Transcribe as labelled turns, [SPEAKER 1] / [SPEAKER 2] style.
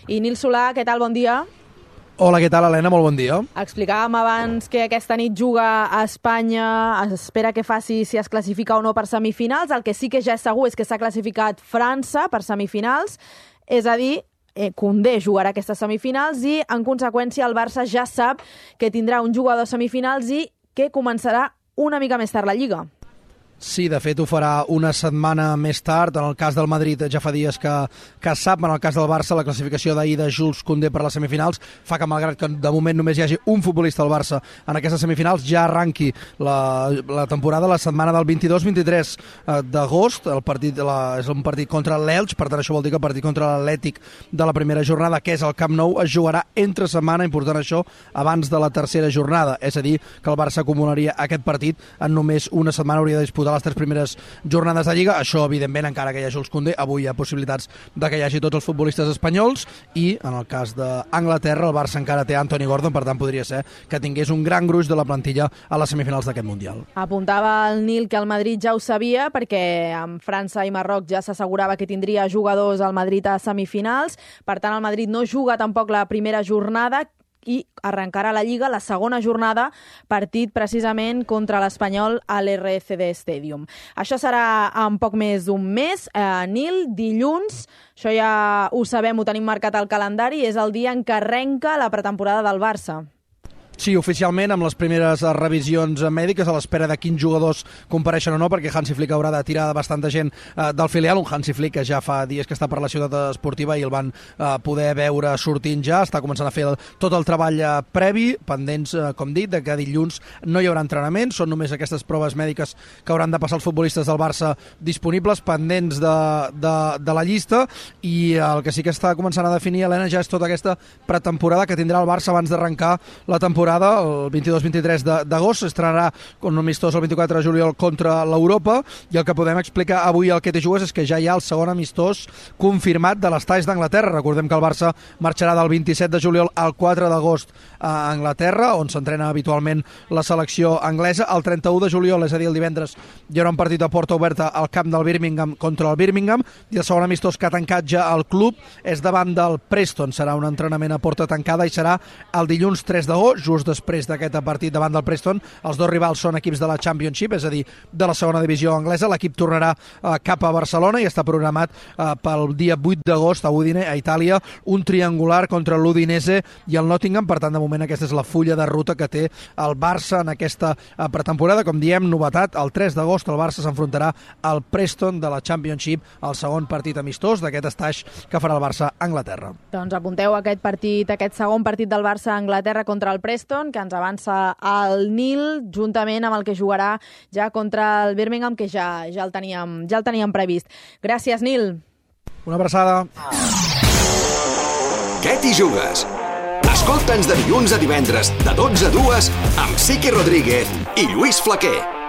[SPEAKER 1] I Nil Solà, què tal? Bon dia.
[SPEAKER 2] Hola, què tal, Helena? Molt bon dia.
[SPEAKER 1] Explicàvem abans que aquesta nit juga a Espanya, es espera que faci si es classifica o no per semifinals. El que sí que ja és segur és que s'ha classificat França per semifinals, és a dir, Koundé jugarà aquestes semifinals i, en conseqüència, el Barça ja sap que tindrà un jugador a semifinals i que començarà una mica més tard la Lliga.
[SPEAKER 2] Sí, de fet ho farà una setmana més tard. En el cas del Madrid ja fa dies que sap. En el cas del Barça, la classificació d'ahir de Jules Koundé per les semifinals fa que, malgrat que de moment només hi hagi un futbolista al Barça en aquestes semifinals, ja arranqui la temporada la setmana del 22-23 d'agost. El partit és un partit contra l'Elx, per tant això vol dir que el partit contra l'Atlètic de la primera jornada, que és el Camp Nou, es jugarà entre setmana, important això, abans de la tercera jornada. És a dir, que el Barça acumularia aquest partit en només una setmana, hauria de disputar les 3 primeres jornades de Lliga. Això, evidentment, encara que hi hagi Jules Koundé, avui hi ha possibilitats de que hi hagi tots els futbolistes espanyols i, en el cas d'Anglaterra, el Barça encara té Anthony Gordon, per tant, podria ser que tingués un gran gruix de la plantilla a les semifinals d'aquest Mundial.
[SPEAKER 1] Apuntava el Nil que el Madrid ja ho sabia, perquè amb França i Marroc ja s'assegurava que tindria jugadors al Madrid a semifinals. Per tant, el Madrid no juga tampoc la primera jornada i arrencarà la Lliga la segona jornada, partit precisament contra l'Espanyol a l'RCD Stadium. Això serà en poc més d'un mes. Nil, dilluns, això ja ho sabem, ho tenim marcat al calendari, és el dia en què arrenca la pretemporada del Barça.
[SPEAKER 2] Sí, oficialment, amb les primeres revisions mèdiques, a l'espera de quins jugadors compareixen o no, perquè Hansi Flick haurà de tirar bastanta gent del filial. Un Hansi Flick que ja fa dies que està per la ciutat esportiva i el van poder veure sortint ja. Està començant a fer tot el treball previ, pendents, com dit, de que dilluns no hi haurà entrenament. Són només aquestes proves mèdiques que hauran de passar els futbolistes del Barça disponibles, pendents de la llista. I el que sí que està començant a definir, Helena, ja és tota aquesta pretemporada que tindrà el Barça abans d'arrencar la temporada. El 22-23 d'agost estrenarà un amistós el 24 de juliol contra l'Europa, i el que podem explicar avui al Que te jugues és que ja hi ha el segon amistós confirmat de les talls d'Anglaterra. Recordem que el Barça marxarà del 27 de juliol al 4 d'agost a Anglaterra, on s'entrena habitualment la selecció anglesa. El 31 de juliol, és a dir, el divendres, hi haurà un partit a porta oberta al camp del Birmingham contra el Birmingham, i el segon amistós que ha tancat ja el club és davant del Preston. Serà un entrenament a porta tancada i serà el dilluns 3 d'agost, just després d'aquest partit davant del Preston. Els dos rivals són equips de la Championship, és a dir, de la segona divisió anglesa. L'equip tornarà cap a Barcelona i està programat pel dia 8 d'agost a Udine, a Itàlia, un triangular contra l'Udinese i el Nottingham. Per tant, de moment aquesta és la fulla de ruta que té el Barça en aquesta pretemporada. Com diem, novetat, el 3 d'agost el Barça s'enfrontarà al Preston de la Championship, el segon partit amistós d'aquest estaix que farà el Barça a Anglaterra.
[SPEAKER 1] Doncs apunteu aquest partit, aquest segon partit del Barça a Anglaterra contra el Preston, que ens avança el Nil, juntament amb el que jugarà ja contra el Birmingham, que ja el teníem previst. Gràcies, Nil.
[SPEAKER 2] Una abraçada.
[SPEAKER 3] Què t'hi jugues? Escolta'ns de dilluns a divendres, de 12 a 2, amb Siqui Rodríguez i Lluís Flaquer.